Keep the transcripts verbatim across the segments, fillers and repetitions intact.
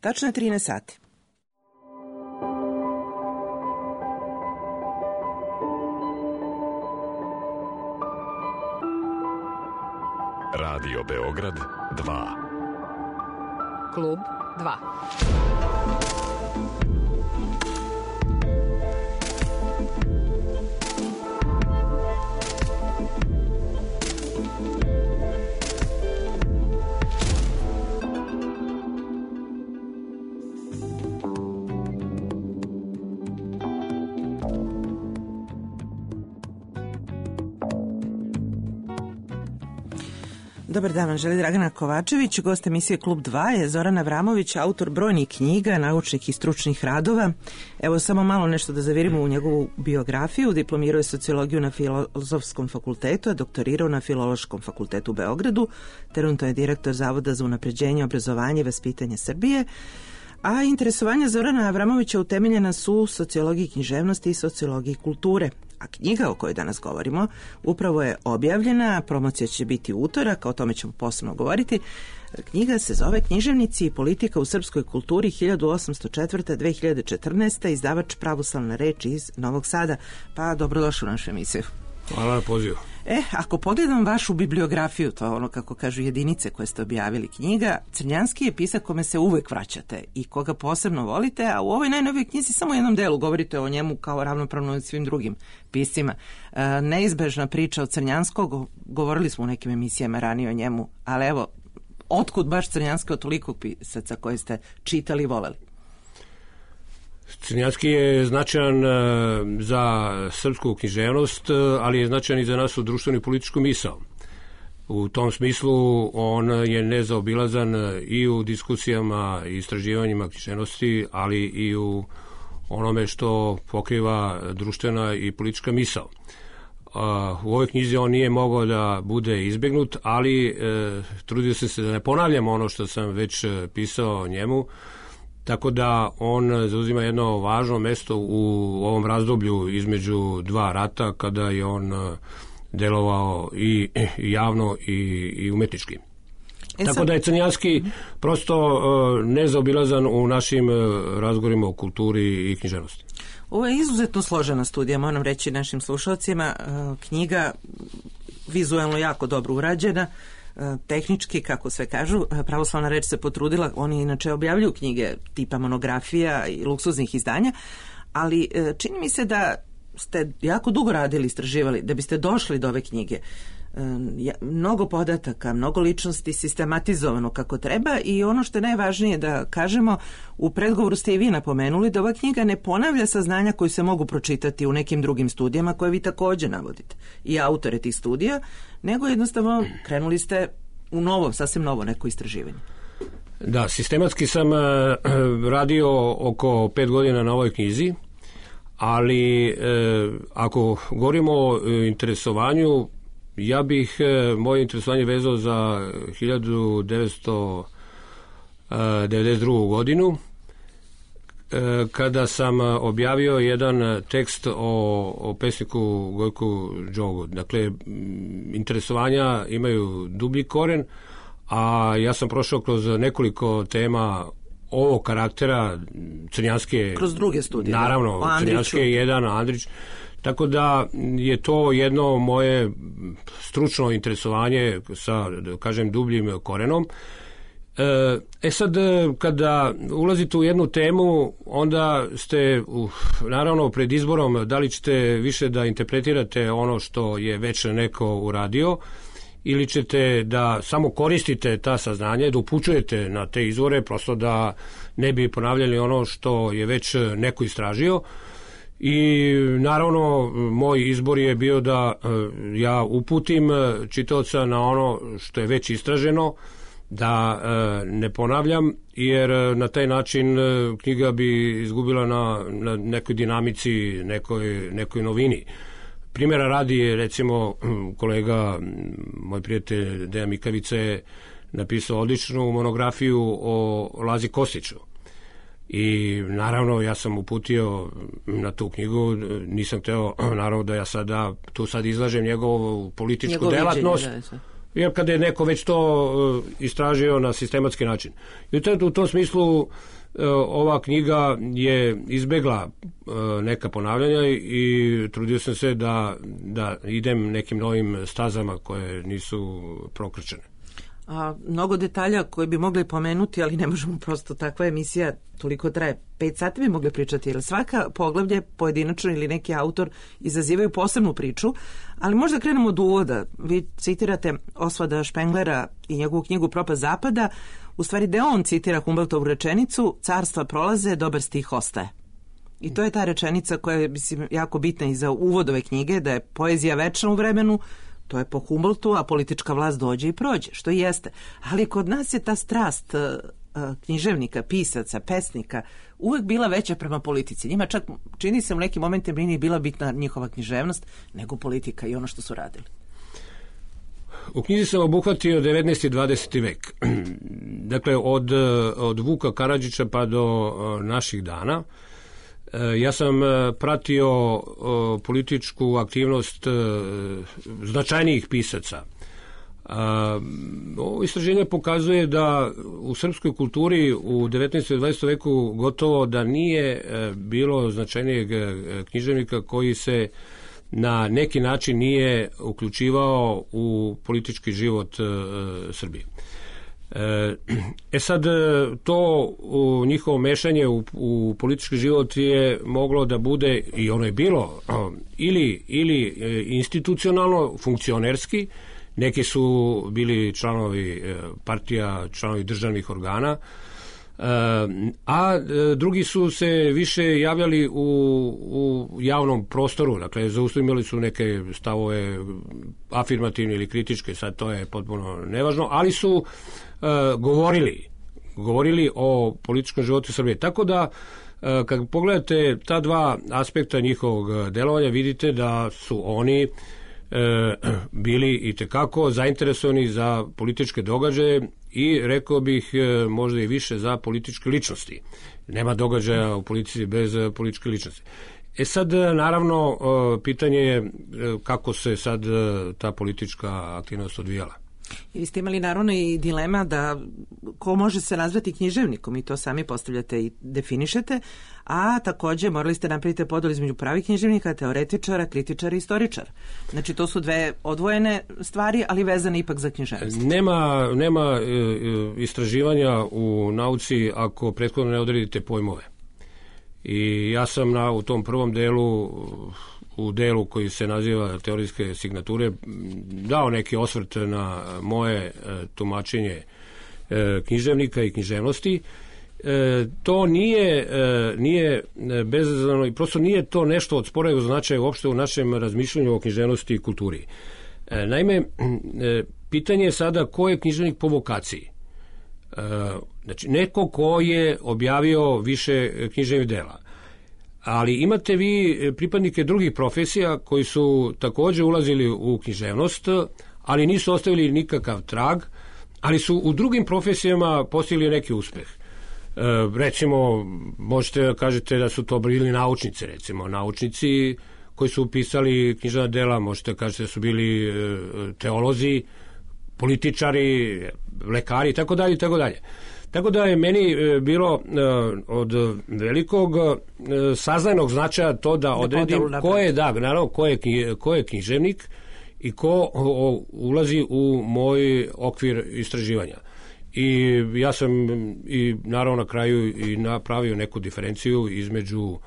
Tačno je trinaest sati. Radio Beograd dva. Klub dva. Dobar dan, vam želi Dragana Kovačević. Gost emisije Klub dva je Zoran Avramović, autor brojnih knjiga, naučnih i stručnih radova. Evo samo malo nešto da zavirimo u njegovu biografiju. Diplomirao je sociologiju na Filozofskom fakultetu, a doktorirao na Filološkom fakultetu u Beogradu. Trenutno je direktor Zavoda za unapređenje, obrazovanje i vaspitanje Srbije. A interesovanja Zorana Avramovića utemeljena su u sociologiji književnosti i sociologiji kulture. A knjiga o kojoj danas govorimo upravo je objavljena, promocija će biti u utorak, o tome ćemo posebno govoriti. Knjiga se zove Književnici i politika u srpskoj kulturi hiljadu osamsto četvrta do dve hiljade četrnaesta. Izdavač Pravoslavna reč iz Novog Sada. Pa dobrodošli u našu emisiju. Hvala na pozivu. E, ako pogledam vašu bibliografiju, to ono kako kažu jedinice koje ste objavili knjiga, Crnjanski je pisak kome se uvek vraćate i koga posebno volite, a u ovoj najnovijoj knjizi samo u jednom delu govorite o njemu kao ravnopravno svim drugim piscima. E, neizbežna priča od Crnjanskog, govorili smo u nekim emisijama ranije o njemu, ali evo, otkud baš Crnjanski od tolikog pisaca koje ste čitali i voleli? Crnjanski je značajan za srpsku književnost, ali je značajan i za našu društvenu i političku misao. U tom smislu on je nezaobilazan i u diskusijama i istraživanjima književnosti, ali i u onome što pokriva društvena i politička misao. U ovoj knjizi on nije mogao da bude izbegnut, ali trudio sam se da ne ponavljam ono što sam već pisao o njemu, tako da on zauzima jedno važno mesto u ovom razdoblju između dva rata, kada je on delovao i javno i, i umetnički. E Tako sad... da je Crnjanski prosto nezaobilazan u našim razgovorima o kulturi i književnosti. Ovo je izuzetno složena studija, moram reći našim slušalcima. Knjiga vizualno jako dobro urađena, tehnički, kako sve kažu. Pravoslavna reč se potrudila, oni inače objavljuju knjige tipa monografija i luksuznih izdanja, ali čini mi se da ste jako dugo radili, istraživali, da biste došli do ove knjige. Mnogo podataka, mnogo ličnosti, sistematizovano kako treba, i ono što je najvažnije da kažemo, u predgovoru ste i vi napomenuli da ova knjiga ne ponavlja saznanja koji se mogu pročitati u nekim drugim studijama koje vi također navodite i autore tih studija, nego jednostavno krenuli ste u novo, sasvim novo neko istraživanje. Da, sistematski sam radio oko pet godina na ovoj knjizi, ali ako govorimo o interesovanju, ja bih e, moje interesovanje vezao za hiljadu devetsto devedeset drugu. godinu, e, kada sam objavio jedan tekst o, o pesniku Gojku Đogu. Dakle, interesovanja imaju dublji koren, a ja sam prošao kroz nekoliko tema ovog karaktera. Crnjanski je... Kroz druge studije. Naravno, Crnjanski je jedan, Andrić. Tako da je to jedno moje stručno interesovanje sa, da kažem, dubljim korenom. E sad, kada ulazite u jednu temu, onda ste, uh, naravno, pred izborom da li ćete više da interpretirate ono što je već neko uradio, ili ćete da samo koristite ta saznanja, da upućujete na te izvore, prosto da ne bi ponavljali ono što je već neko istražio. I naravno moj izbor je bio da ja uputim čitaoca na ono što je već istraženo, da ne ponavljam, jer na taj način knjiga bi izgubila na, na nekoj dinamici, nekoj, nekoj novini. Primjera radi je, recimo, kolega, moj prijatelj Dejan Mikavica je napisao odličnu monografiju o Lazi Kostiću. I naravno ja sam uputio na tu knjigu, nisam hteo naravno da ja sada tu sad izlažem njegovu političku Njegov delatnost, viđenje, jer kada je neko već to istražio na sistematski način. I u tom smislu ova knjiga je izbegla neka ponavljanja i trudio sam se da, da idem nekim novim stazama koje nisu prokrčene. A, mnogo detalja koje bi mogli pomenuti, ali ne možemo prosto, takva emisija toliko traje. Pet sati bi mogli pričati, jer svaka poglavlje pojedinačno ili neki autor izazivaju posebnu priču, ali možda krenemo od uvoda. Vi citirate Osvalda Špenglera i njegovu knjigu Propast zapada, u stvari da on citira Humboldtovu rečenicu carstva prolaze, dobar stih ostaje. I to je ta rečenica koja je mislim, jako bitna i za uvod ove knjige, da je poezija večna u vremenu, to je po Humboldtu, a politička vlast dođe i prođe, što i jeste. Ali kod nas je ta strast književnika, pisaca, pesnika uvek bila veća prema politici. Njima čak čini se u nekim momentima nije bila bitna njihova književnost, nego politika i ono što su radili. U knjizi sam obuhvatio devetnaesti i dvadeseti vek. Dakle, od, od Vuka Karadžića pa do naših dana. Ja sam pratio političku aktivnost značajnijih pisaca. Ovo istraženje pokazuje da u srpskoj kulturi u devetnaestom i dvadesetom veku gotovo da nije bilo značajnijeg književnika koji se na neki način nije uključivao u politički život Srbije. E sad, to u njihovo mešanje u, u politički život je moglo da bude, i ono je bilo, ili, ili institucionalno, funkcionerski, neki su bili članovi partija, članovi državnih organa, a drugi su se više javljali u, u javnom prostoru, dakle zaustavljali su neke stavove afirmativne ili kritičke, sad to je potpuno nevažno, ali su uh, govorili govorili o političkom životu Srbije, tako da uh, kad pogledate ta dva aspekta njihovog delovanja, vidite da su oni E, bili i tekako zainteresovani za političke događaje i rekao bih e, možda i više za političke ličnosti. Nema događaja u politici bez političke ličnosti. E sad, naravno, e, pitanje je e, kako se sad e, ta politička aktivnost odvijala. I vi ste imali naravno i dilema da ko može se nazvati književnikom i to sami postavljate i definišete, a takođe morali ste napraviti podelu između pravih književnika, teoretičara, kritičara i istoričara. Znači to su dve odvojene stvari, ali vezane ipak za književnost. Nema, nema e, istraživanja u nauci ako prethodno ne odredite pojmove. I ja sam na, u tom prvom delu u delu koji se naziva teorijske signature dao neki osvrt na moje e, tumačenje e, književnika i književnosti. E, to nije, e, nije bezazleno i prosto nije to nešto od sporednog značaja uopšte u našem razmišljanju o književnosti i kulturi. E, naime, e, pitanje je sada ko je književnik po vokaciji. E, znači, neko ko je objavio više književnih dela. Ali imate vi pripadnike drugih profesija koji su takođe ulazili u književnost, ali nisu ostavili nikakav trag, ali su u drugim profesijama postigli neki uspeh. E, recimo, možete da kažete da su to bili naučnici, recimo, naučnici koji su pisali književna dela, možete da kažete da su bili teolozi, političari, lekari, tako dalje, i tako dalje. Tako da je meni bilo od velikog saznajnog značaja to da odredim ko je, da, naravno, ko je, ko je književnik i ko ulazi u moj okvir istraživanja. I ja sam i naravno na kraju i napravio neku diferenciju između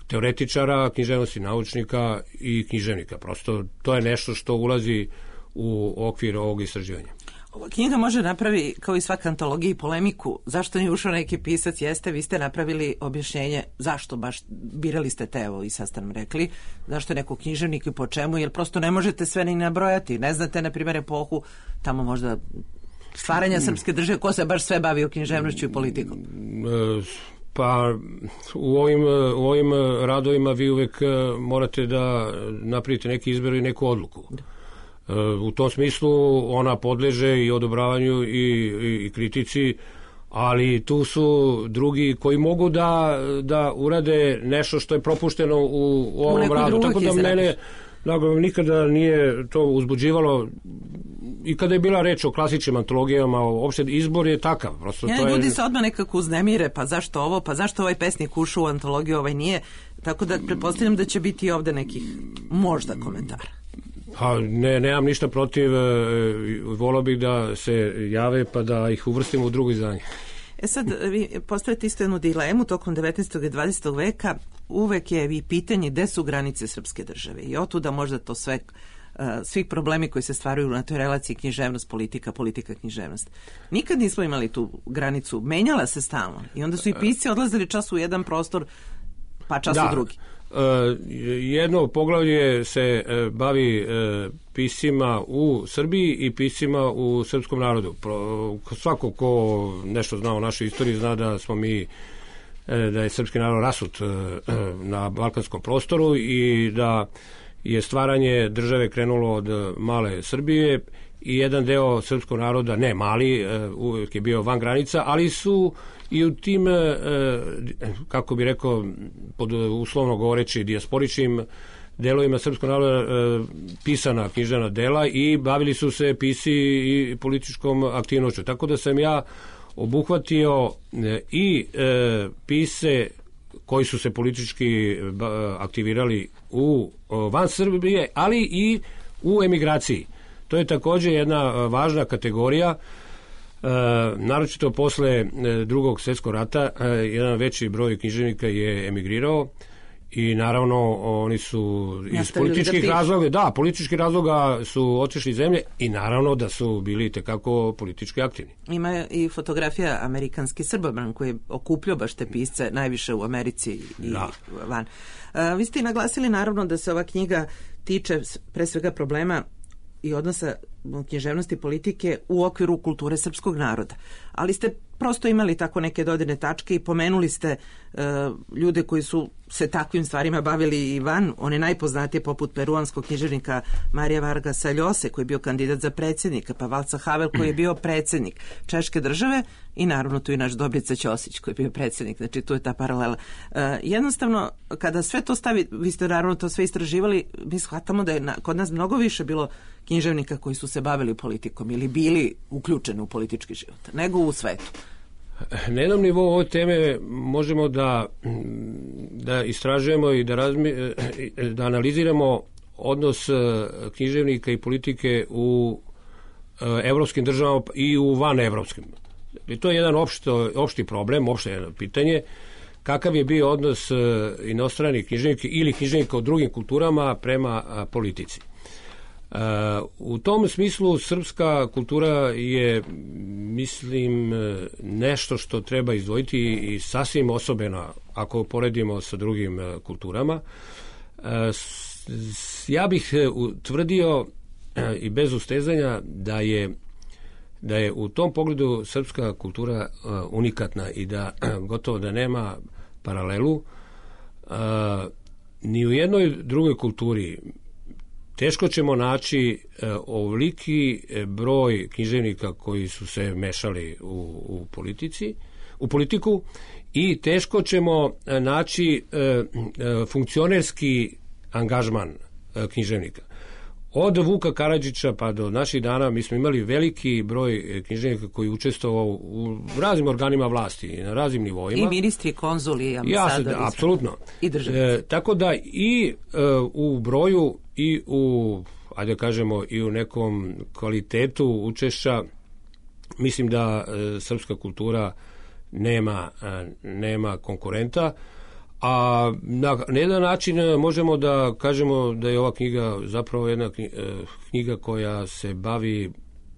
teoretičara, književnosti, naučnika i književnika. Prosto to je nešto što ulazi u okvir ovog istraživanja. Ova knjiga može napravi, kao i svaka antologija, i polemiku. Zašto nije ušao neki pisac? Jeste, vi ste napravili objašnjenje zašto baš birali ste te, evo i sad ste nam rekli, zašto je neko književnik i po čemu, jer prosto ne možete sve ni nabrojati. Ne znate, na primjer, epohu tamo možda stvaranja srpske države, ko se baš sve bavio književnošću i politikom? Pa u ovim, u ovim radovima vi uvek morate da napravite neki izbor i neku odluku. Da. U tom smislu ona podleže i odobravanju i, i, i kritici, ali tu su drugi koji mogu da, da urade nešto što je propušteno u, u ovom radu. Tako da mene da, nikada nije to uzbuđivalo i kada je bila reč o klasičnim antologijama, uopšte izbor je takav. Prosto ja, to je... Ljudi se odmah nekako uznemire, pa zašto ovo, pa zašto ovaj pesnik ušao u antologiju, ovaj nije. Tako da pretpostavljam da će biti ovde nekih možda komentara. Pa ne, nemam ništa protiv, volao bih da se jave pa da ih uvrstimo u drugo izdanje. E sad, vi postavite isto jednu dilemu tokom devetnaestog i dvadesetog veka, uvek je i pitanje gde su granice srpske države i otuda možda to sve, svih problemi koji se stvaraju na toj relaciji književnost, politika, politika, književnost. Nikad nismo imali tu granicu, menjala se stalno i onda su i pisci odlazili čas u jedan prostor, pa čas da. u drugi. Uh, jedno poglavlje se uh, bavi uh, piscima u Srbiji i piscima u srpskom narodu. Pro, svako ko nešto zna o našoj istoriji zna da smo mi uh, da je srpski narod rasut uh, na balkanskom prostoru i da je stvaranje države krenulo od male Srbije i jedan deo srpskog naroda, ne mali, uh, uvijek je bio van granica, ali su i u tim, kako bi rekao, pod uslovno govoreći dijasporičnim delovima srpskog naroda pisana književna dela i bavili su se pisci i političkom aktivnošću. Tako da sam ja obuhvatio i pisce koji su se politički aktivirali u van Srbije, ali i u emigraciji. To je također jedna važna kategorija. Uh, naročito posle uh, drugog svjetskog rata uh, jedan veći broj književnika je emigrirao i naravno oni su iz političkih da razloga, da, političkih razloga su otišli iz zemlje i naravno da su bili tekako politički aktivni. Ima i fotografija amerikanski Srbobran koji je okupljao baš te pisce najviše u Americi i da. van. Uh, vi ste i naglasili naravno da se ova knjiga tiče pre svega problema i odnosa književnosti politike u okviru kulture srpskog naroda. Ali ste prosto imali tako neke dodirne tačke i pomenuli ste uh, ljude koji su se takvim stvarima bavili i van, one najpoznatije poput peruanskog književnika Marija Vargasa Ljose koji je bio kandidat za predsjednika, pa Valca Havel koji je bio predsjednik Češke države i naravno tu i naš Dobrica Ćosić koji je bio predsjednik, znači tu je ta paralela. Uh, jednostavno, kada sve to stavi, vi ste naravno to sve istraživali, mi shvatamo da je na, kod nas mnogo više bilo književnika koji su se bavili politikom ili bili uključeni u politički život, nego u svetu. Na jednom nivou ove teme možemo da, da istražujemo i da, razmi, da analiziramo odnos književnika i politike u evropskim državama i u van evropskim. I to je jedan opšto, opšti problem, opšte jedno pitanje, kakav je bio odnos inostranih književnika ili književnika u drugim kulturama prema politici. Uh, u tom smislu srpska kultura je, mislim, nešto što treba izdvojiti i sasvim osobena ako poredimo sa drugim uh, kulturama. Uh, s, ja bih utvrdio uh, i bez ustezanja da je da je u tom pogledu srpska kultura uh, unikatna i da uh, gotovo da nema paralelu uh, ni u jednoj drugoj kulturi. Teško ćemo naći e, ovoliki broj književnika koji su se mešali u, u politici, u politiku i teško ćemo naći e, e, funkcionerski angažman e, književnika. Od Vuka Karadžića pa do naših dana mi smo imali veliki broj književnika koji učestvovao u raznim organima vlasti na raznim nivoima. I ministri, konzuli, ambasadori. Ja, apsolutno. I državnici. E, tako da i e, u broju i u, ajde kažemo, i u nekom kvalitetu učešća mislim da e, srpska kultura nema, e, nema konkurenta. A na, na jedan način možemo da kažemo da je ova knjiga zapravo jedna knjiga koja se bavi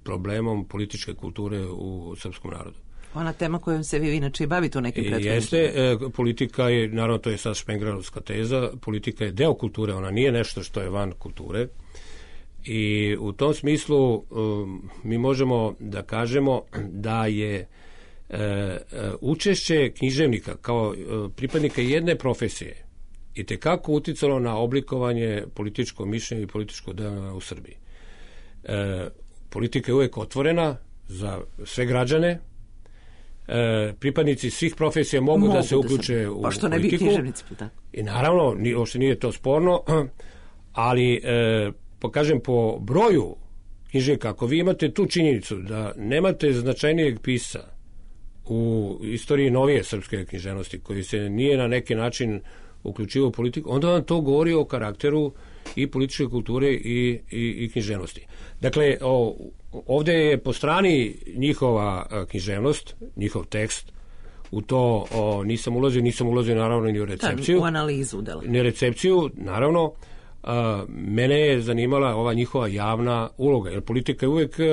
problemom političke kulture u srpskom narodu. Ona tema kojom se vi inače i bavite u nekim prethodnim. Jeste, politika je, naravno to je sad špenglerovska teza, politika je deo kulture, ona nije nešto što je van kulture i u tom smislu um, mi možemo da kažemo da je E, učešće književnika kao e, pripadnika jedne profesije i tekako uticalo na oblikovanje političkog mišljenja i političkog dela u Srbiji. E, politika je uvek otvorena za sve građane. E, pripadnici svih profesija mogu, mogu da se uključe da sam, u pa što politiku. Ne bi književnici, tako. I naravno, uopšte nije to sporno, ali e, pokažem po broju književnika. Ako vi imate tu činjenicu da nemate značajnijeg pisca u istoriji novije srpske književnosti koji se nije na neki način uključivao u politiku, onda vam to govori o karakteru i političke kulture i, i, i književnosti. Dakle, o, ovdje je po strani njihova književnost, njihov tekst, u to o, nisam ulazio, nisam ulazio naravno ni u recepciju. Da, u analizu dela. Ni recepciju, naravno. A, mene je zanimala ova njihova javna uloga, jer politika je uvijek a,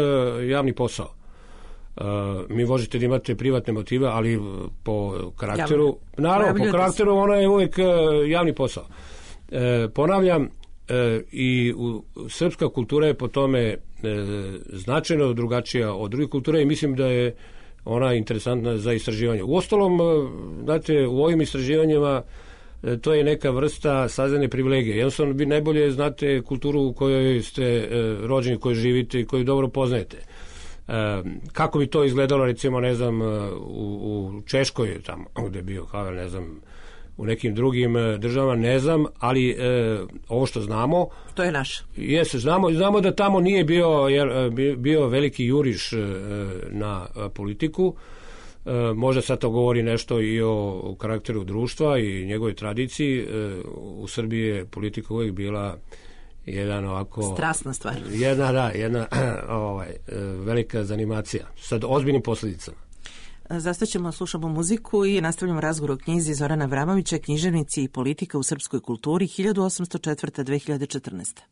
javni posao. A, mi možete da imate privatne motive, ali po karakteru, javno. Naravno, po karakteru ona je uvijek a, javni posao. E, ponavljam, e, i u, srpska kultura je po tome e, značajno drugačija od drugih kultura i mislim da je ona interesantna za istraživanje. Uostalom, znate, u ovim istraživanjima to je neka vrsta saznane privilegije. Jednostavno, vi najbolje znate kulturu u kojoj ste e, rođeni, kojoj živite i koju dobro poznajete. E, kako bi to izgledalo, recimo, ne znam, u, u Češkoj, tamo gde je bio Havel, ne znam, u nekim drugim državama, ne znam, ali e, ovo što znamo... To je naše. Jeste, znamo, znamo da tamo nije bio, jer, bio veliki juriš e, na politiku. E, možda sad to govori nešto i o karakteru društva i njegovoj tradiciji. E, u Srbiji je politika uvijek bila jedan ovako... Strasna stvar. Jedna, da, jedna ovaj, velika zanimacija sa ozbiljnim posljedicama. Zastaćemo, slušamo muziku i nastavljamo razgovor o knjizi Zorana Vramovića, Književnici i politika u srpskoj kulturi hiljadu osamsto četvrta do dve hiljade četrnaeste.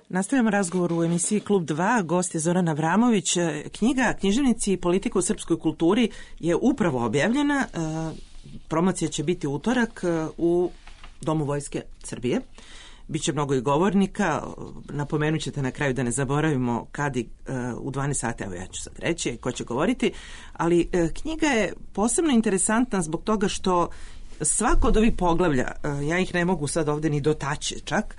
Nastavljamo razgovor u emisiji Klub dva, gost je Zoran Avramović. Knjiga Književnici i politika u srpskoj kulturi je upravo objavljena. Promocija će biti utorak u Domu Vojske Srbije. Biće mnogo i govornika. Napomenut ćete na kraju da ne zaboravimo kad i u dvanaest sati, evo ja ću sad reći ko će govoriti, ali knjiga je posebno interesantna zbog toga što svako od ovih poglavlja, ja ih ne mogu sad ovde ni dotaći čak,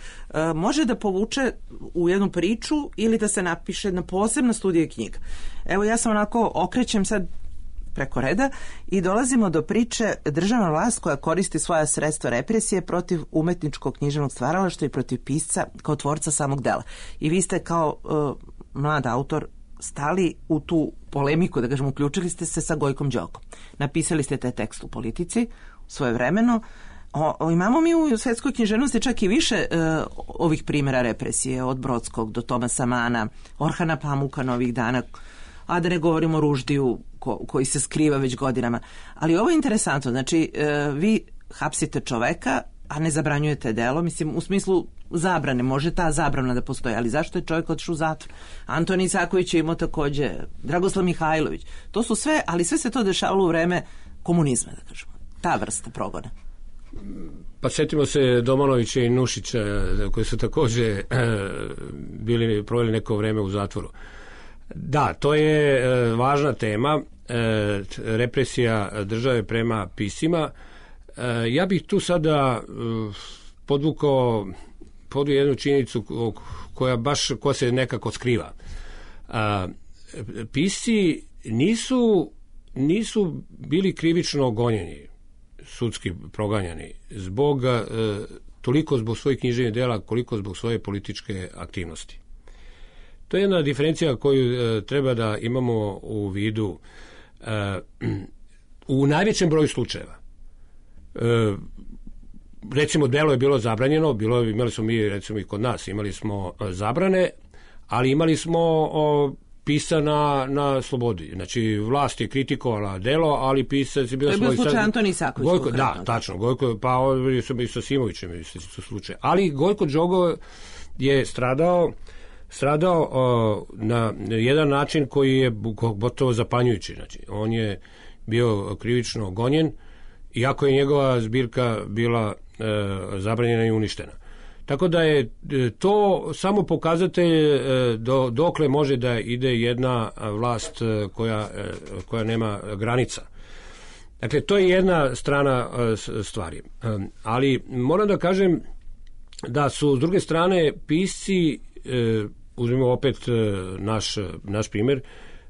može da povuče u jednu priču ili da se napiše na posebna studija knjiga. Evo ja sam onako okrećem sad preko reda i dolazimo do priče državna vlast koja koristi svoja sredstva represije protiv umetničkog književnog stvaralaštva i protiv pisca kao tvorca samog dela. I vi ste kao uh, mlad autor stali u tu polemiku, da kažem, uključili ste se sa Gojkom Đokom. Napisali ste taj tekst u Politici svojevremeno. O, o, imamo mi u svetskoj književnosti čak i više e, ovih primjera represije, od Brodskog do Tomasa Mana, Orhana Pamuka novih dana, a da ne govorimo o Ruždiju ko, koji se skriva već godinama. Ali ovo je interesantno, znači e, vi hapsite čoveka, a ne zabranjujete delo, mislim u smislu zabrane, može ta zabrana da postoji, ali zašto je čovjek otišao u zatvor? Antoni Isaković je imao takođe, Dragoslav Mihajlović, to su sve, ali sve se to dešavalo u vreme komunizma, da kažemo, ta vrsta progona. Pa sjetimo se Domanovića i Nušića koji su također e, bili proveli neko vreme u zatvoru. Da, to je e, važna tema, e, represija države prema piscima. E, ja bih tu sada e, podvukao podu jednu činjenicu koja baš koja se nekako skriva. A, pisci nisu, nisu bili krivično gonjeni, sudski proganjani, zbog, e, toliko zbog svojih književnih dela, koliko zbog svoje političke aktivnosti. To je jedna diferencija koju e, treba da imamo u vidu e, u najvećem broju slučajeva. E, recimo, delo je bilo zabranjeno, bilo, imali smo mi, recimo i kod nas, imali smo zabrane, ali imali smo o, pisa na, na slobodi. Znači, vlast je kritikovala delo, ali pisac je bio... To je bio slučaj Antoni Isaković. Gojko, da, tačno. Gojko, pa ovdje sam i sa Simovićem su slučaj. Ali Gojko Đogo je stradao stradao o, na jedan način koji je gotovo zapanjujući. Znači, on je bio krivično gonjen, iako je njegova zbirka bila e, zabranjena i uništena. Tako da je to samo pokazatelj e, do, dokle može da ide jedna vlast e, koja, e, koja nema granica. Dakle, to je jedna strana e, stvari. E, ali moram da kažem da su s druge strane pisci, e, uzmimo opet e, naš, naš primjer,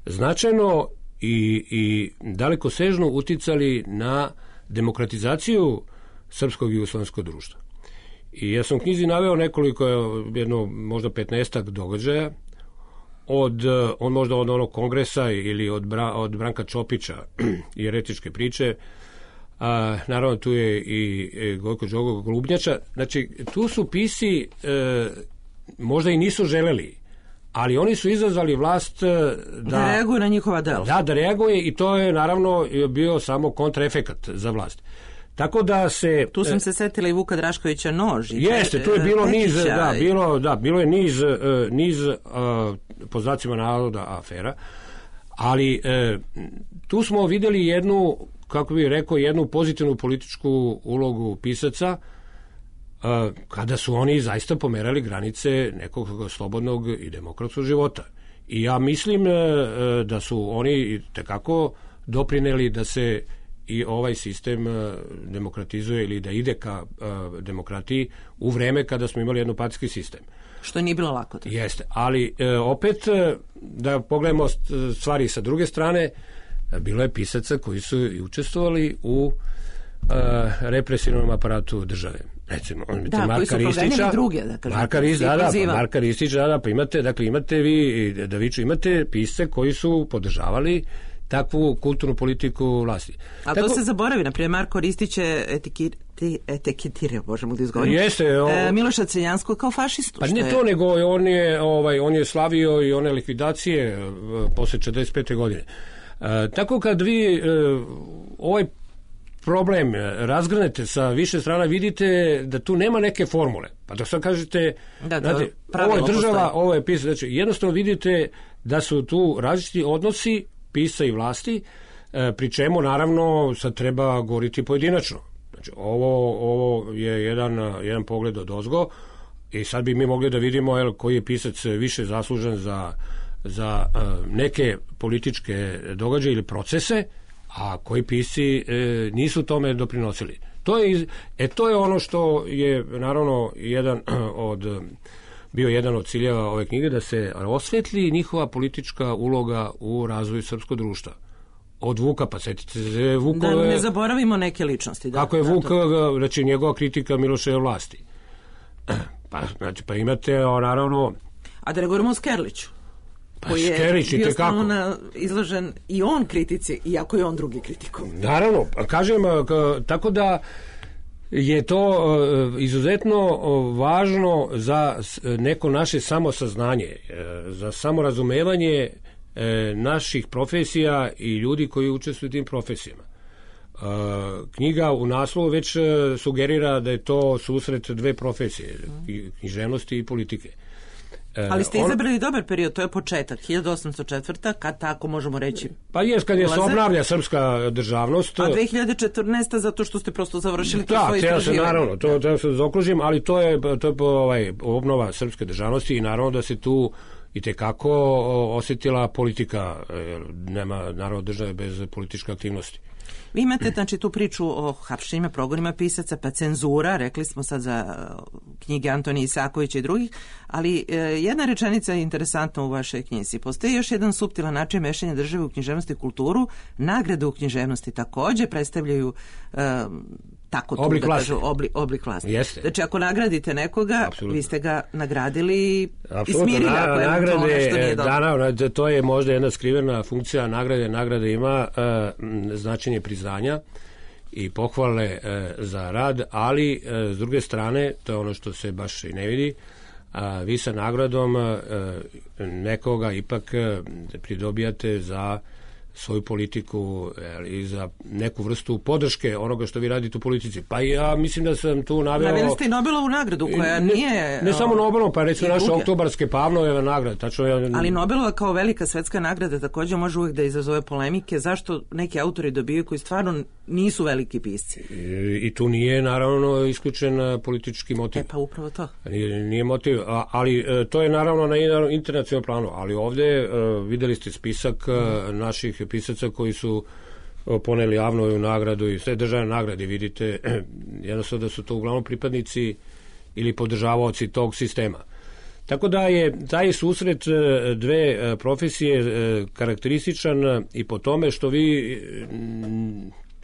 značajno i, i dalekosežno uticali na demokratizaciju srpskog i jugoslovenskog društva. I ja sam u knjizi naveo nekoliko, jedno možda petnaestak događaja, od, on možda od onog kongresa ili od, Bra, od Branka Čopića i eretičke priče, a, naravno tu je i, i Gojko Đogo Glubnjača. Znači, tu su pisci e, možda i nisu želeli, ali oni su izazvali vlast da, da reaguje na njihova dela. Da, da reaguje i to je naravno bio samo kontraefekat za vlast. Tako da se... Tu sam se setila i Vuka Draškovića Nož. Jeste, tu je bilo niz, da, bilo, da, bilo je niz, niz uh, po znacima navoda afera, ali uh, tu smo vidjeli jednu, kako bih rekao, jednu pozitivnu političku ulogu pisaca, uh, kada su oni zaista pomerali granice nekog slobodnog i demokratskog života. I ja mislim uh, da su oni tekako doprineli da se i ovaj sistem uh, demokratizuje ili da ide ka uh, demokratiji u vreme kada smo imali jednopartijski sistem. Što nije bilo lako. Tako. Jeste, ali uh, opet uh, da pogledamo stvari sa druge strane, uh, bilo je pisaca koji su i učestvovali u uh, represivnom aparatu države. Recimo, da, Marka koji su Ristića, druge, da kažem. Marka Ristića, da, da, pa Marka Ristića, da, pa imate, dakle, imate vi, da viču, imate pisce koji su podržavali takvu kulturnu politiku vlasti. A Tako, to se zaboravi, naprimjer, Marko Ristić je etiketirao, možemo da izgovorim, jeste, o, e, Miloša Crnjanskog kao fašistu. Pa ne je... to, nego on je, ovaj, on je slavio i one likvidacije uh, posle četrdeset pete godine. Uh, tako kad vi uh, ovaj problem razgrnete sa više strana, vidite da tu nema neke formule. Pa da sad kažete, da, da, znate, ovo je država, postoje. Ovo je pisac, znači jednostavno vidite da su tu različiti odnosi pisa i vlasti, pri čemu naravno sad treba govoriti pojedinačno. Znači, ovo, ovo je jedan, jedan pogled od ozgo i sad bi mi mogli da vidimo jel, koji je pisac više zaslužen za, za uh, neke političke događaje ili procese, a koji pisci e, nisu tome doprinosili. To je, e, to je ono što je naravno jedan od, bio jedan od ciljeva ove knjige, da se osvetli njihova politička uloga u razvoju srpskog društva. Od Vuka, pa setite se Vukove... Da ne zaboravimo neke ličnosti. Da, kako je da, Vuk, to... znači njegova kritika Miloševe vlasti. Pa, znači, pa imate, o, naravno... A da ne govorimo o Skerliću, pa, koji je Skerlić, bio stalno izložen i on kritici, iako je on drugi kritikom. Naravno, kažem, k, tako da je to uh, izuzetno uh, važno za neko naše samosaznanje, uh, za samorazumevanje naših profesija i ljudi koji učestvuju u tim profesijama. Knjiga u naslovu već sugerira da je to susret dve profesije, književnosti i politike. Ali ste izabrali On... dobar period, to je početak, hiljadu osamsto četvrta, kad tako možemo reći. Pa jes, kad je se obnavlja srpska državnost. A dve hiljade četrnaesta zato što ste prosto završili to da, svoje istraživanje. Da, naravno, to, to se zaokružim, ali to je, to je ovaj, obnova srpske državnosti i naravno da se tu i tekako osjetila politika, nema naravno države bez političke aktivnosti. Vi imate znači tu priču o hapšenjima, progonima pisaca, pa cenzura, rekli smo sad za knjige Antonija Isakovića i drugih, ali e, jedna rečenica je interesantna u vašoj knjizi. Postoji još jedan suptilan način mešanja države u književnost i kulturu. Nagrade u književnosti također predstavljaju e, tako tu oblik da vlasti. kažu obli, oblik vlasti. Jeste. Znači ako nagradite nekoga, Absolutno. Vi ste ga nagradili Apsolutno. I smirili Na, ako je nagrade, to nešto nije dobro. Da, da, to je možda jedna skrivena funkcija nagrade. Nagrade ima uh, značenje priznanja i pohvale uh, za rad, ali uh, s druge strane, to je ono što se baš i ne vidi, a vi sa nagradom uh, nekoga ipak uh, pridobijate za svoju politiku i za neku vrstu podrške onoga što vi radite u politici. Pa ja mislim da sam tu naveo... Naveli ste i Nobelovu nagradu koja ne, nije... Ne samo Nobelovu, pa recimo naše oktobarske Pavlove nagrade. Tačno ja... Ali Nobelova kao velika svetska nagrada također može uvijek da izazove polemike. Zašto neki autori dobiju koji stvarno nisu veliki pisci? I, i tu nije naravno isključen politički motiv. E pa upravo to. Nije, nije motiv, a, ali to je naravno na internacionalnom planu. Ali ovdje uh, videli ste spisak uh, naših pisaca koji su poneli javnu nagradu i sve državne nagrade, vidite jednostavno da su to uglavnom pripadnici ili podržavaoci tog sistema. Tako da je taj susret dve profesije karakterističan i po tome što vi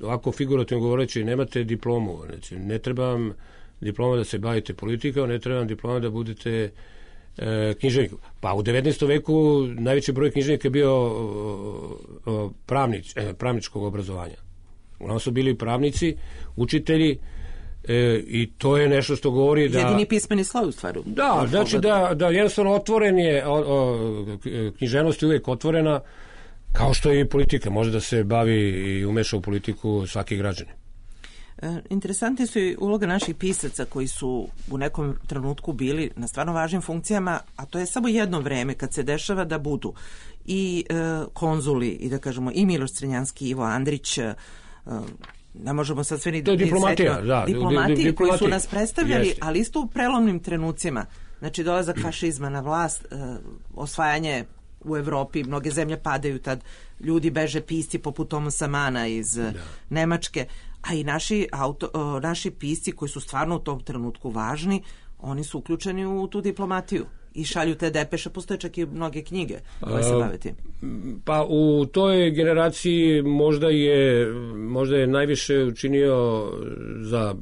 ovako figurativno govoreći nemate diplomu, znači ne treba vam diploma da se bavite politikom, ne treba vam diploma da budete E, književniku. Pa u devetnaestom veku najveći broj književnika je bio o, o, pravnič, e, pravničkog obrazovanja. Uglavnom su bili pravnici, učitelji e, i to je nešto što govori da... Jedini pismeni sloj u stvaru. Da, znači da, da jednostavno otvoren je, o, o, književnost je uvijek otvorena, kao što je i politika. Može da se bavi i umeša u politiku svaki građanin. Interesantne su i uloga naših pisaca koji su u nekom trenutku bili na stvarno važnim funkcijama, a to je samo jedno vreme kad se dešava da budu i e, konzuli i da kažemo i Miloš Crnjanski, Ivo Andrić, e, ne možemo sad sve ni... To je diplomatija, ni da. Diplomati di, di, koji su nas predstavljali, Jeste. Ali isto u prelomnim trenucima. Znači dolazak fašizma na vlast, e, osvajanje u Evropi, mnoge zemlje padaju tad, ljudi beže pisci poput Tomasa Mana iz da. Nemačke, a i naši, auto, o, naši pisci koji su stvarno u tom trenutku važni, oni su uključeni u tu diplomatiju i šalju te depeše, postoje čak i mnoge knjige koje se bave tim. Pa u toj generaciji možda je, možda je najviše učinio za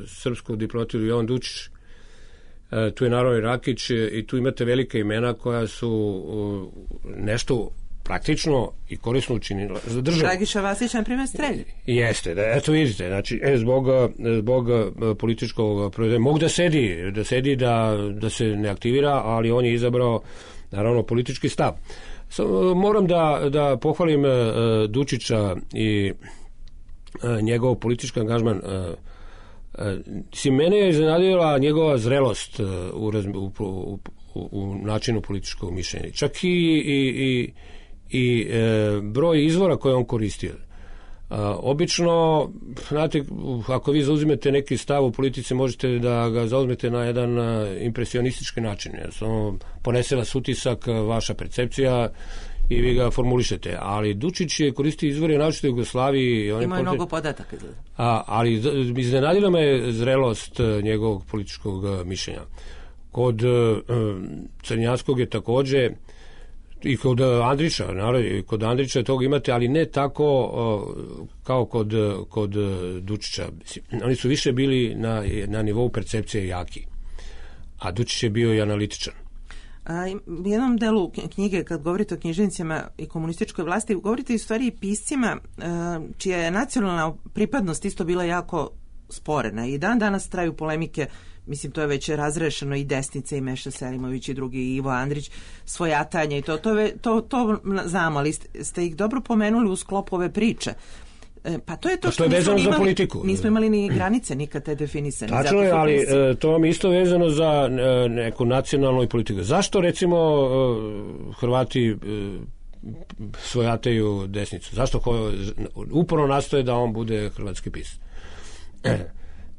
srpsku diplomatiju Jovan Dučić. E, tu je naravno i Rakić i tu imate velike imena koja su uh, nešto praktično i korisno učinila za državu. Dragiša Vasić, na primjer, strelji. Jeste, da, eto vidite, znači, e, zbog, zbog političkog proizvoda, mogu da sedi, da sedi, da, da se ne aktivira, ali on je izabrao, naravno, politički stav. So, moram da, da pohvalim uh, Dučića i njegov politički angažman. Mislim, mene je iznenadila njegova zrelost u, u, u, u načinu političkog mišljenja. Čak i, i, i, i e, broj izvora koje on koristio. A, obično, znate, ako vi zauzimete neki stav u politici, možete da ga zauzmete na jedan impresionistički način. Samo ponese vas utisak, vaša percepcija i vi ga formulišete. Ali Dučić je koristio izvore naročito u Jugoslaviji. Ima je pote... mnogo podataka. A, ali iznenadila me zrelost njegovog političkog mišljenja. Kod uh, Crnjanskog je takođe i kod Andrića, naravno, i kod Andrića toga imate, ali ne tako uh, kao kod, kod Dučića. Oni su više bili na, na nivou percepcije jaki, a Dučić je bio i analitičan. A, u jednom delu knjige, kad govorite o književnicima i komunističkoj vlasti, govorite i u stvari i piscima a, čija je nacionalna pripadnost isto bila jako sporena. I dan danas traju polemike, mislim, to je već razrešeno, i Desnica i Meša Selimović i drugi, i Ivo Andrić, svojatanje i to, to, to, to znamo, ali ste, ste ih dobro pomenuli u sklopu ove priče. E, pa to je to, to što je vezano nismo za imali, politiku. Nismo imali ni granice nikad te definisane. Tačno je, ali e, to vam isto vezano za e, neku nacionalnu politiku. Zašto, recimo, e, Hrvati e, svojataju Desnicu? Zašto ko, uporno nastoje da on bude hrvatski pisac? E,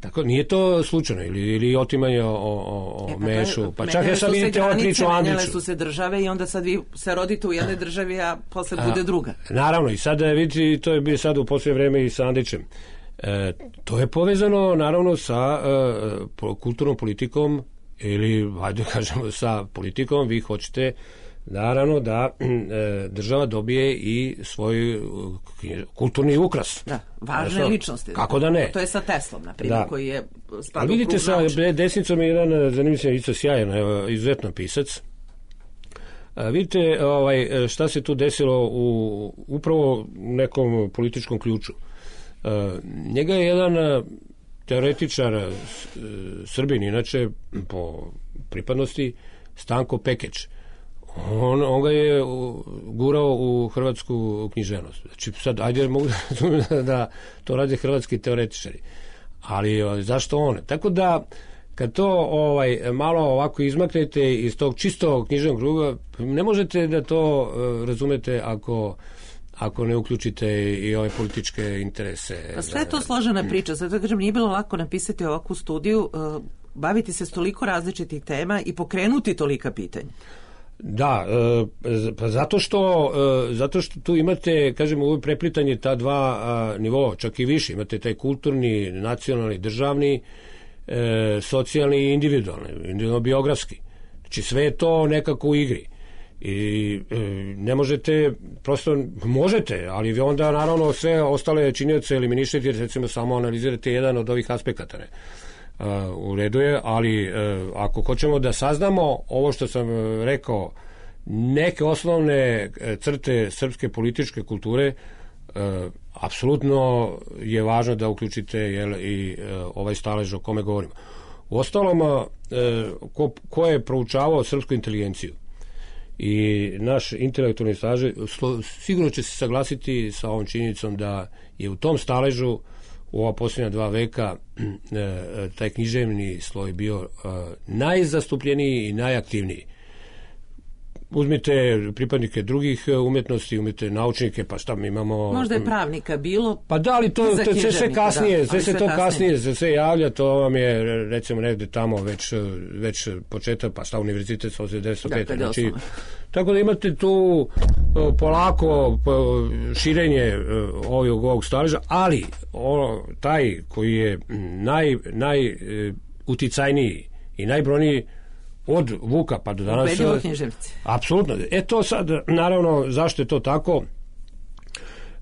tako, nije to slučajno, ili, ili otimanje o, o, o e, pa Mešu, je, pa čak ja sad vidite ovu priču o Andriću. Menjale su se države i onda sad vi se rodite u jednoj državi, a posle a, bude druga. Naravno, i sad vidite, to je bio sad u posljednje vreme i sa Andrićem. E, to je povezano, naravno, sa e, kulturnom politikom, ili, hajde kažemo, sa politikom, vi hoćete, naravno, da e, država dobije i svoj kulturni ukras. Da, važne ličnosti. Kako da ne? To je sa Teslom, na primjer, da. Koji je spadao. Ali vidite, sa Desnicom je jedan zanimljiv, isto sjajan, izuzetno pisac. A, vidite ovaj, šta se tu desilo u upravo u nekom političkom ključu. A, njega je jedan teoretičar, Srbin, inače, po pripadnosti, Stanko Pekeć. On, on ga je gurao u hrvatsku književnost. Znači, sad, ajde, mogu da, da to rade hrvatski teoretičari. Ali zašto on? Tako da, kad to ovaj, malo ovako izmaknete iz tog čistog književnog kruga, ne možete da to uh, razumete ako ako ne uključite i ove političke interese. Pa sve je to složena priča. Zato kažem, nije bilo lako napisati ovakvu studiju, uh, baviti se s toliko različitih tema i pokrenuti tolika pitanja. Da, pa zato što, zato što tu imate, kažemo, ovo preplitanje ta dva nivoa, čak i više. Imate taj kulturni, nacionalni, državni, socijalni i individualni, individualno-biografski. Znači sve je to nekako u igri. I ne možete, prosto možete, ali vi onda naravno sve ostale činioce eliminišete, jer recimo samo analizirate jedan od ovih aspekata. Ne? Uh, u redu je, ali uh, ako hoćemo da saznamo ovo što sam uh, rekao, neke osnovne uh, crte srpske političke kulture, uh, apsolutno je važno da uključite jel, i uh, ovaj stalež o kome govorimo. U ostalom, uh, ko, ko je proučavao srpsku inteligenciju i naš intelektualni stalež, sigurno će se saglasiti sa ovom činjenicom da je u tom staležu u ova posljednja dva veka taj književni sloj bio najzastupljeniji i najaktivniji. Uzmite pripadnike drugih umjetnosti, umete naučnike, pa šta mi imamo... Možda je pravnika bilo... Pa da, ali to, to sve, sve kasnije, da, sve se to kasnije, se sve javlja, to vam je, recimo, negde tamo već, već početak, pa šta univerzitet sa devetsto pete. Da, znači, tako da imate tu polako širenje ovog, ovog staleža, ali ono, taj koji je naj, naj uticajniji i najbrojniji od Vuka pa do danas... Ubedljivo književci. Apsolutno. E to sad, naravno, zašto je to tako?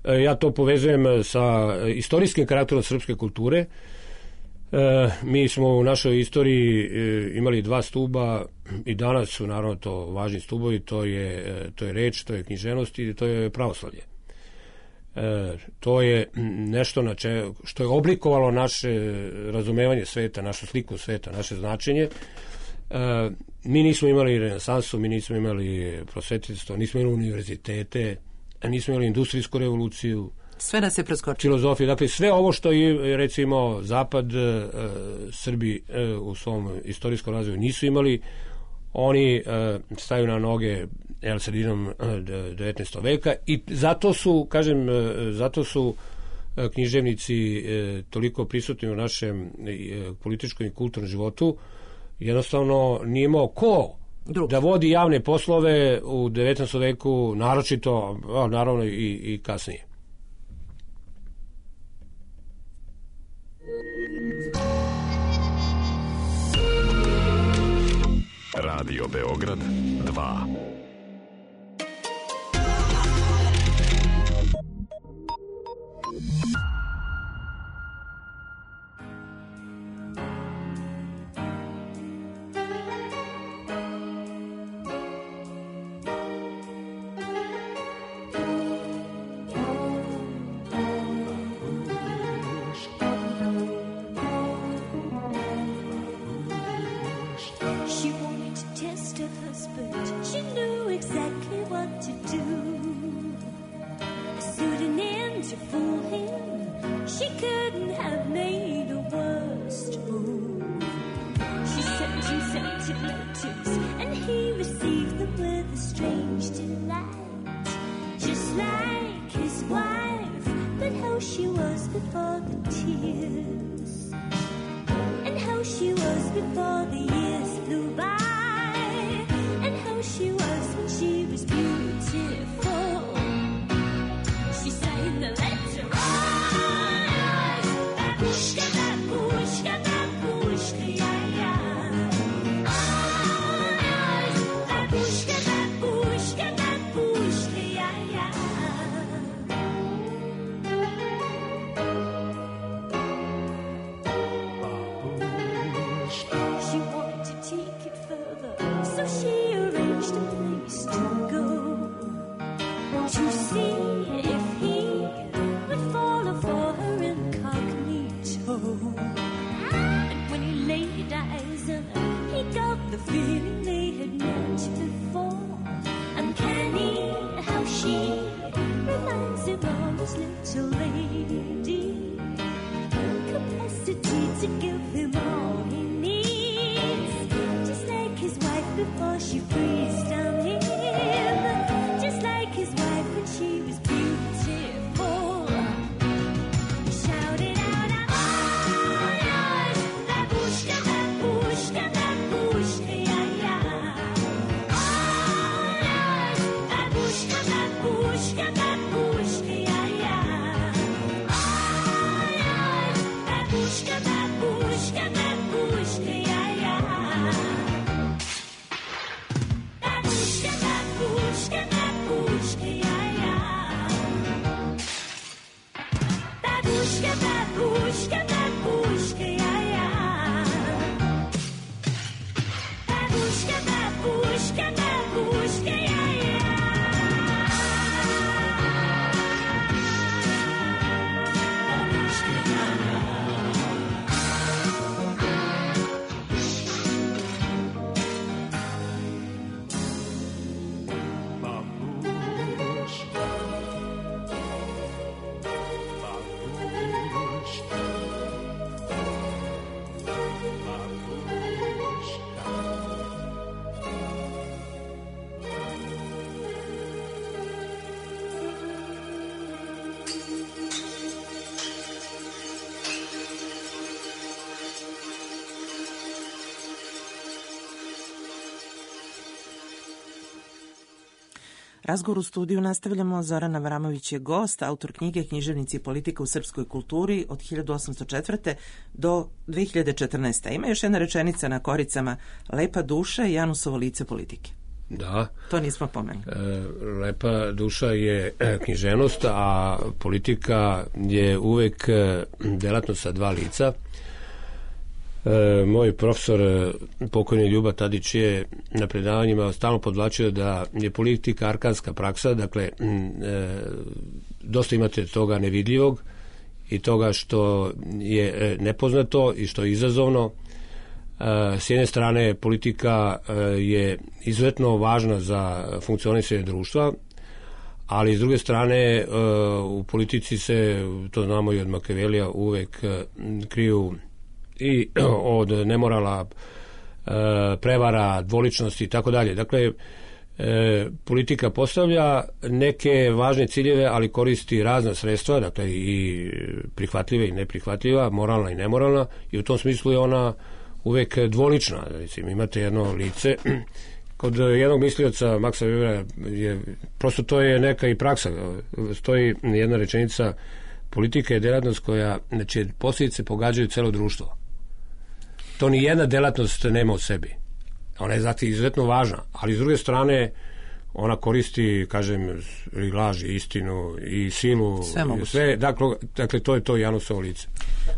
E, ja to povezujem sa istorijskim karakterom srpske kulture. E, mi smo u našoj istoriji e, imali dva stuba i danas su naravno to važni stubovi, to je, to je reč, to je književnost i to je pravoslavlje. E, to je nešto na če, što je oblikovalo naše razumevanje sveta, našu sliku sveta, naše značenje. Uh, mi nismo imali renesansu, mi nismo imali prosvetiteljstvo, nismo imali univerzitete, nismo imali industrijsku revoluciju. Sve nas je preskočilo. Filozofija, dakle sve ovo što je recimo Zapad, e, Srbi e, u svom istorijskom razvoju nisu imali, oni e, staju na noge el, sredinom devetnaestog veka i zato su, kažem, e, zato su e, književnici e, toliko prisutni u našem e, političkom i kulturnom životu. Jednostavno nije imao ko Drugi. da vodi javne poslove u devetnaestom veku, naročito, a, naravno i, i kasnije. Radio Beograd dva. Razgovor u studiju nastavljamo. Zoran Avramović je gost, autor knjige Književnici i politika u srpskoj kulturi od hiljadu osamsto četvrte do dve hiljade četrnaeste. Ima još jedna rečenica na koricama: Lepa duša i Janusovo lice politike. Da. To nismo pomenuli. E, lepa duša je književnost, a politika je uvek delatnost sa dva lica. E, moj profesor, pokojni Ljuba Tadić, je na predavanjima stalno podvlačio da je politika arkanska praksa, dakle e, dosta imate toga nevidljivog i toga što je nepoznato i što je izazovno. E, s jedne strane, politika e, je izuzetno važna za funkcionisanje društva, ali s druge strane u politici se, to znamo i od Makevelija, uvek kriju i od nemorala, prevara, dvoličnosti i tako dalje. Dakle, politika postavlja neke važne ciljeve, ali koristi razna sredstva, dakle i prihvatljive i neprihvatljiva, moralna i nemoralna, i u tom smislu je ona uvek dvolična. Recimo, imate jedno lice, kod jednog mislioca, Maxa Webera, je, prosto to je neka i praksa. Stoji jedna rečenica: politika je delatnost koja, znači, posljedice pogađaju celo društvo. To ni jedna delatnost nema u sebi. Ona je zato izuzetno važna, ali s druge strane ona koristi, kažem, i laž, i istinu, i silu, sve, sve dakle, dakle, to je to Janusovo lice.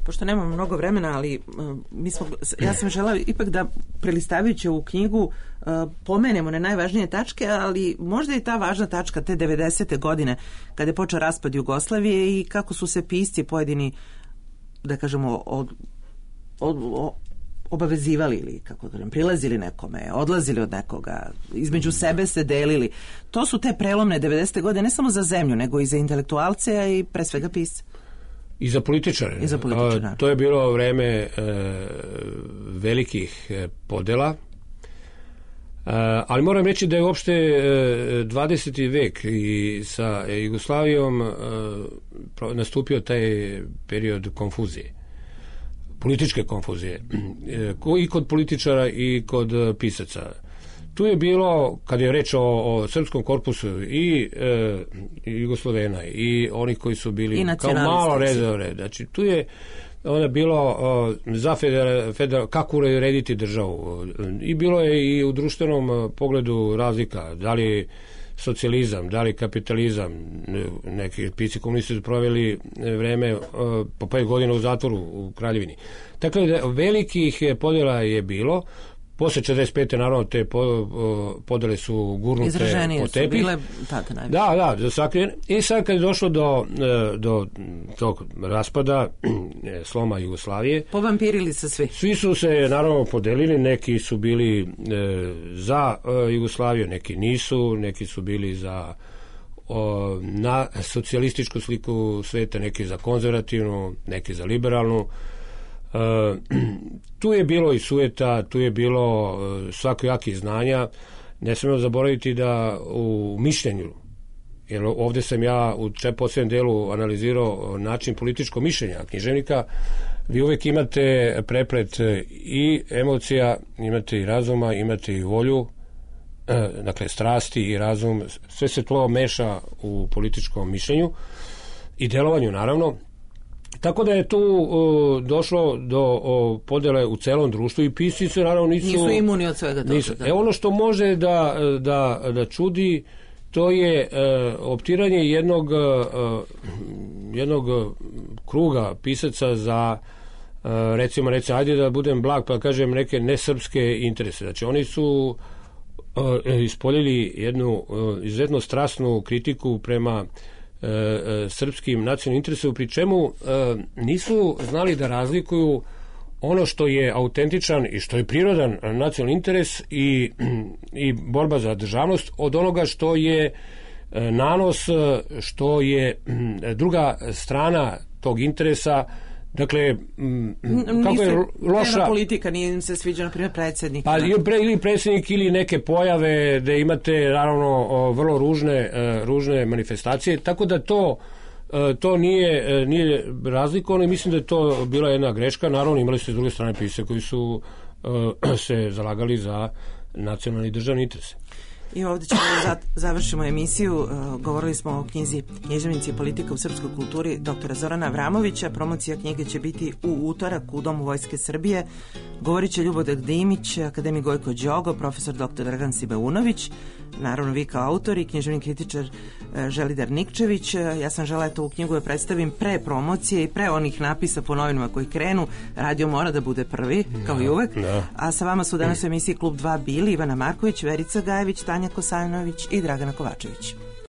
Pošto nemamo mnogo vremena, ali uh, mi smo, ja sam želela ipak da, prelistavajući ovu knjigu, uh, pomenemo na najvažnije tačke, ali možda je ta važna tačka te devedesete godine, kada je počeo raspad Jugoslavije i kako su se pisci pojedini, da kažemo, od, od, od obavezivali ili, kako kažem, prilazili nekome, odlazili od nekoga, između sebe se delili. To su te prelomne devedesete godine, ne samo za zemlju, nego i za intelektualce, a i pre svega pisce. I za političare. I za političare. A, to je bilo vreme e, velikih e, podela, e, ali moram reći da je uopšte e, dvadeseti vek i sa Jugoslavijom e, nastupio taj period konfuzije. Političke konfuzije, i kod političara i kod pisaca. Tu je bilo, kad je reč o, o srpskom korpusu, i, e, i Jugoslovena, i oni koji su bili kao malo rezerve. Znači, tu je onda bilo o, za federal, federal, kako urediti državu. I bilo je i u društvenom pogledu razlika. Da li socijalizam, da li kapitalizam. Neki pisci komunisti su proveli vreme po pet godina u zatvoru u Kraljevini. Dakle, velikih podjela je bilo. Posle četrdeset pete naravno te podele su gurnute izraženije po tepih. Izraženije su bile tada najviše. Da, da, sakrivene. I sad kad je došlo do, do tog raspada, sloma Jugoslavije, povampirili se svi. Svi su se naravno podelili, neki su bili e, za e, Jugoslaviju, neki nisu, neki su bili za o, na socijalističku sliku sveta, neki za konzervativnu, neki za liberalnu. Uh, tu je bilo i sujeta, tu je bilo uh, svakojakih znanja. Ne smemo zaboraviti da u mišljenju, jer ovdje sam ja u posljednjem delu analizirao način političkog mišljenja književnika, vi uvijek imate preplet i emocija, imate i razuma, imate i volju, uh, dakle strasti i razum, sve se to meša u političkom mišljenju i delovanju naravno. Tako da je tu uh, došlo do uh, podjele u celom društvu i pisci se naravno nisu... Nisu imuni od svega toga. Nisu. E ono što može da, da, da čudi, to je uh, optiranje jednog, uh, jednog kruga pisaca za, uh, recimo, recimo, ajde da budem blag pa kažem neke nesrpske interese. Znači oni su uh, ispoljili jednu uh, izuzetno strasnu kritiku prema srpskim nacionalnim interesom, pri čemu nisu znali da razlikuju ono što je autentičan i što je prirodan nacionalni interes i, i borba za državnost od onoga što je nanos, što je druga strana tog interesa. Dakle, kako nisu, je loša... Nema politika, nije im se sviđa, na primjer, predsjednik. Pa, ili predsjednik ili neke pojave da imate, naravno, vrlo ružne, ružne manifestacije, tako da to, to nije, nije razlikovano i mislim da je to bila jedna greška. Naravno, imali ste s druge strane pisce koji su se zalagali za nacionalni i državni interes. I ovdje ćemo da završimo emisiju. Uh, govorili smo o knjizi Književnici i politika u srpskoj kulturi doktora Zorana Avramovića. Promocija knjige će biti u utorak u Domu Vojske Srbije. Govorit će Ljubodrag Dimić, akademik Gojko Đogo, profesor doktor Dragan Sibeunović, naravno vi kao autor i književni kritičar uh, Želidar Nikčević. Uh, ja sam žela eto u knjigu da predstavim pre promocije i pre onih napisa po novinama koji krenu. Radio mora da bude prvi, kao i uvek. No. A sa vama su danas u emisiji Klub dva bili Ivana Marković, Verica Gajević, Tanja Kosanović i Dragana Kovačević.